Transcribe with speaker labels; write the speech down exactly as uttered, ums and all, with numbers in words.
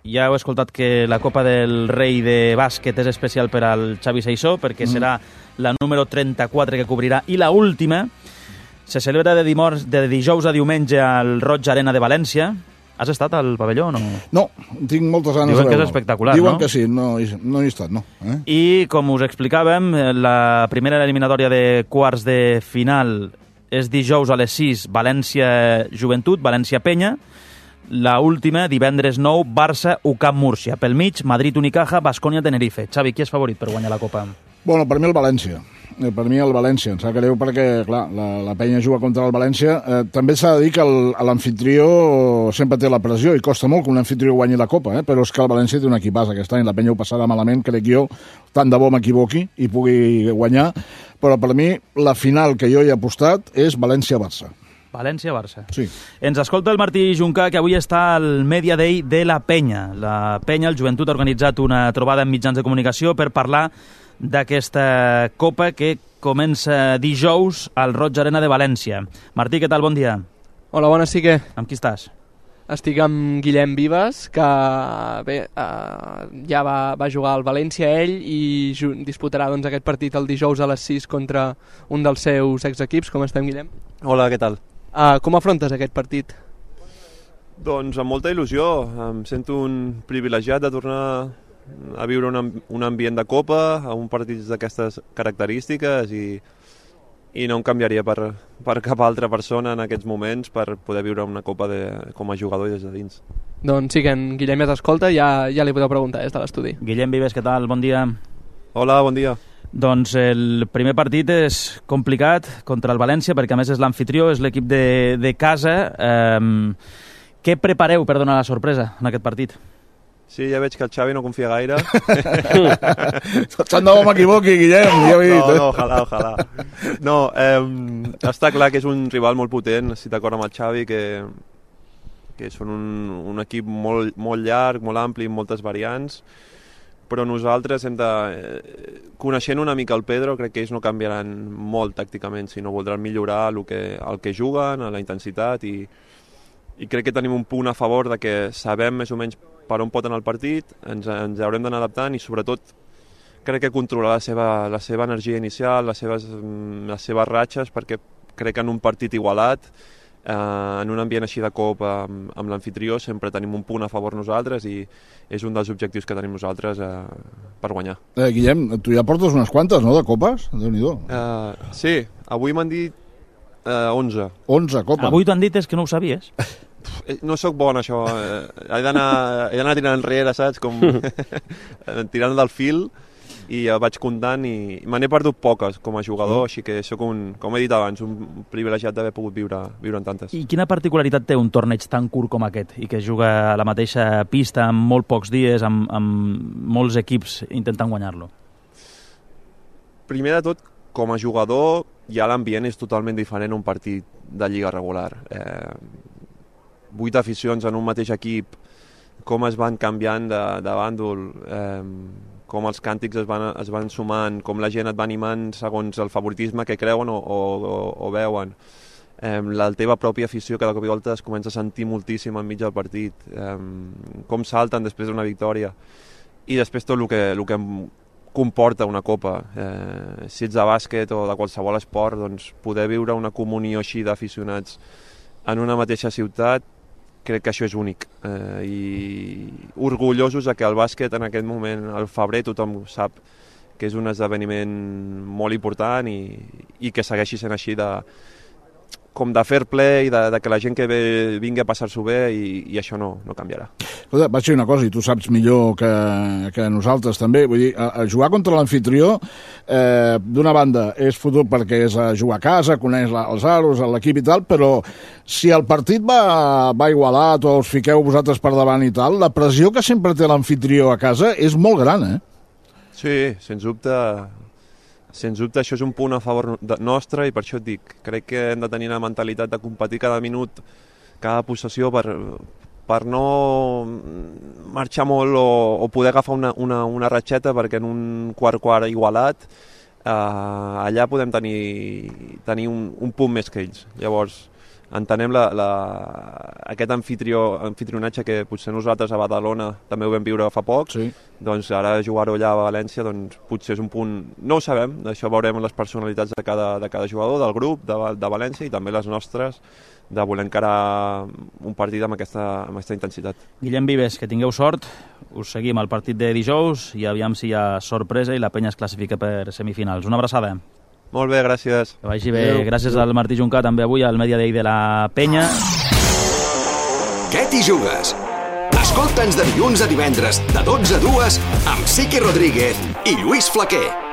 Speaker 1: ja heu escoltat que la Copa del Rei de bàsquet és especial per al Xavi Seisó, perquè mm. serà la número trenta-quatre que cobrirà, i la última se celebra de, dimors, de dijous a diumenge al Roig Arena de València. Has estat al pavelló o no?
Speaker 2: No, tinc moltes ganes
Speaker 1: Diuen
Speaker 2: de veure.
Speaker 1: que és espectacular,
Speaker 2: Diuen
Speaker 1: no?
Speaker 2: Diuen que sí, no, no hi he estat, no. Eh?
Speaker 1: I, com us explicàvem, la primera eliminatòria de quarts de final és dijous a les sis, València-Joventut, València-Penya. La última, divendres nou, Barça-U C A M Múrcia. Pel mig, Madrid-Unicaja, Baskonia-Tenerife. Xavi, qui és favorit per guanyar la Copa?
Speaker 2: Bueno, per mi el València. Per mi el València, em sap greu perquè, clar, la, la Penya juga contra el València. Eh, també s'ha de dir que l'anfitrió sempre té la pressió i costa molt que un anfitrió guanyi la Copa, eh? Però és que el València té un equipàs aquest any. La Penya ho passarà malament, crec jo, tant de bo m'equivoqui i pugui guanyar. Però per mi la final que jo hi he apostat és València-Barça.
Speaker 1: València-Barça.
Speaker 2: Sí.
Speaker 1: Ens escolta el Martí Juncà, que avui està al Media Day de la Penya. La Penya, el Joventut, ha organitzat una trobada amb mitjans de comunicació per parlar d'aquesta Copa que comença dijous al Roig Arena de València. Martí, què tal? Bon dia.
Speaker 3: Hola, bona, sí que...
Speaker 1: Amb qui estàs?
Speaker 3: Estic amb Guillem Vives, que bé, eh, ja va, va jugar al València ell i disputarà doncs, aquest partit el dijous a les sis contra un dels seus exequips. Com estem, Guillem?
Speaker 4: Hola, què tal?
Speaker 3: Uh, com afrontes aquest partit?
Speaker 4: Doncs amb molta il·lusió. Em sento un privilegiat de tornar a viure un, un ambient de Copa, a un partit d'aquestes característiques i, i no em canviaria per, per cap altra persona en aquests moments per poder viure una Copa de, com a jugador i des de dins.
Speaker 3: Doncs sí, que en Guillem ja t'escolta, ja, ja li podeu preguntar des de l'estudi.
Speaker 1: Guillem Vives, què tal? Bon dia.
Speaker 4: Hola, bon dia.
Speaker 1: Doncs el primer partit és complicat contra el València, perquè a més és l'anfitrió, és l'equip de, de casa. Um, què prepareu per donar la sorpresa en aquest partit?
Speaker 4: Sí, ja veig que el Xavi no confia gaire.
Speaker 2: Tant de bo m'equivoqui, Guillem. Ja
Speaker 4: no, no, ojalà, ojalà. No, eh, està clar que és un rival molt potent, estic d'acord amb el Xavi, que, que són un, un equip molt, molt llarg, molt ampli, amb moltes variants, però nosaltres hem de... Eh, coneixent una mica el Pedro, crec que ells no canviaran molt tàcticament, sinó voldran millorar el que, el que juguen, la intensitat, i, i crec que tenim un punt a favor de que sabem més o menys per on pot anar el partit, ens, ens haurem d'anar adaptant i sobretot crec que controlar la seva, la seva energia inicial, les seves, les seves ratxes, perquè crec que en un partit igualat, eh, en un ambient així de Copa amb, amb l'anfitrió, sempre tenim un punt a favor nosaltres i és un dels objectius que tenim nosaltres eh, per guanyar.
Speaker 2: Eh, Guillem, tu ja portes unes quantes, no?, de copes? Déu-n'hi-do.
Speaker 4: Eh, sí, avui m'han dit eh, onze.
Speaker 2: onze copes.
Speaker 1: Avui t'han dit és que no ho sabies.
Speaker 4: No sóc bon, això. He d'anar tirant enrere, saps? Com tirant del fil, i ja vaig comptant i me n'he perdut poques com a jugador, mm. així que sóc un, com he dit abans, un privilegiat d'haver pogut viure, viure en tantes.
Speaker 1: I quina particularitat té un torneig tan curt com aquest i que juga a la mateixa pista en molt pocs dies, amb, amb molts equips intentant guanyar-lo?
Speaker 4: Primer de tot, com a jugador, ja l'ambient és totalment diferent a un partit de lliga regular. Eh, vuit aficions en un mateix equip, com es van canviant de, de bàndol, eh, com els càntics es van, es van sumant, com la gent et va animant segons el favoritisme que creuen o, o, o veuen. Eh, la teva pròpia afició cada cop i volta es comença a sentir moltíssim enmig del partit, eh, com salten després d'una victòria, i després tot el que, el que comporta una Copa. Eh, si ets de bàsquet o de qualsevol esport, doncs poder viure una comunió així d'aficionats en una mateixa ciutat, crec que això és únic, eh, i orgullosos de que el bàsquet en aquest moment, al febrer, tothom sap que és un esdeveniment molt important i, i que segueixi sent així de, com de fair play, de, de que la gent que ve vingui a passar-s'ho bé, i, i això no, no canviarà.
Speaker 2: Escolta, vaig dir una cosa, i tu saps millor que, que nosaltres també, vull dir, a, a jugar contra l'anfitrió, eh, d'una banda és fotut perquè és a jugar a casa, coneix la, els aros, l'equip i tal, però si el partit va, va igualat o us fiqueu vosaltres per davant i tal, la pressió que sempre té l'anfitrió a casa és molt gran, eh?
Speaker 4: Sí, sens dubte... Sens dubte això és un punt a favor nostre, i per això et dic, crec que hem de tenir la mentalitat de competir cada minut, cada possessió, per, per no marxar molt o, o poder agafar una, una, una ratxeta, perquè en un quart-quart igualat eh, allà podem tenir, tenir un, un punt més que ells. Llavors entenem la, la, aquest anfitrió, anfitrionatge que potser nosaltres a Badalona també ho vam viure fa poc,
Speaker 2: Sí.
Speaker 4: doncs ara jugar-ho allà a València doncs, potser és un punt... No ho sabem, això veurem les personalitats de cada, de cada jugador, del grup, de, de València i també les nostres, de voler encarar un partit amb aquesta, amb aquesta intensitat.
Speaker 1: Guillem Vives, que tingueu sort, us seguim al partit de dijous i aviam si hi ha sorpresa i la penya es classifica per semifinals. Una abraçada.
Speaker 4: Molt bé, gràcies.
Speaker 1: Que vagi bé. Adeu. Gràcies al Martí Juncà, també avui al Media Day de la penya.
Speaker 5: Què t'hi jugues? Escolta'ns de dilluns a divendres, de dotze a dues, amb Siqui Rodríguez i Lluís Flaquer.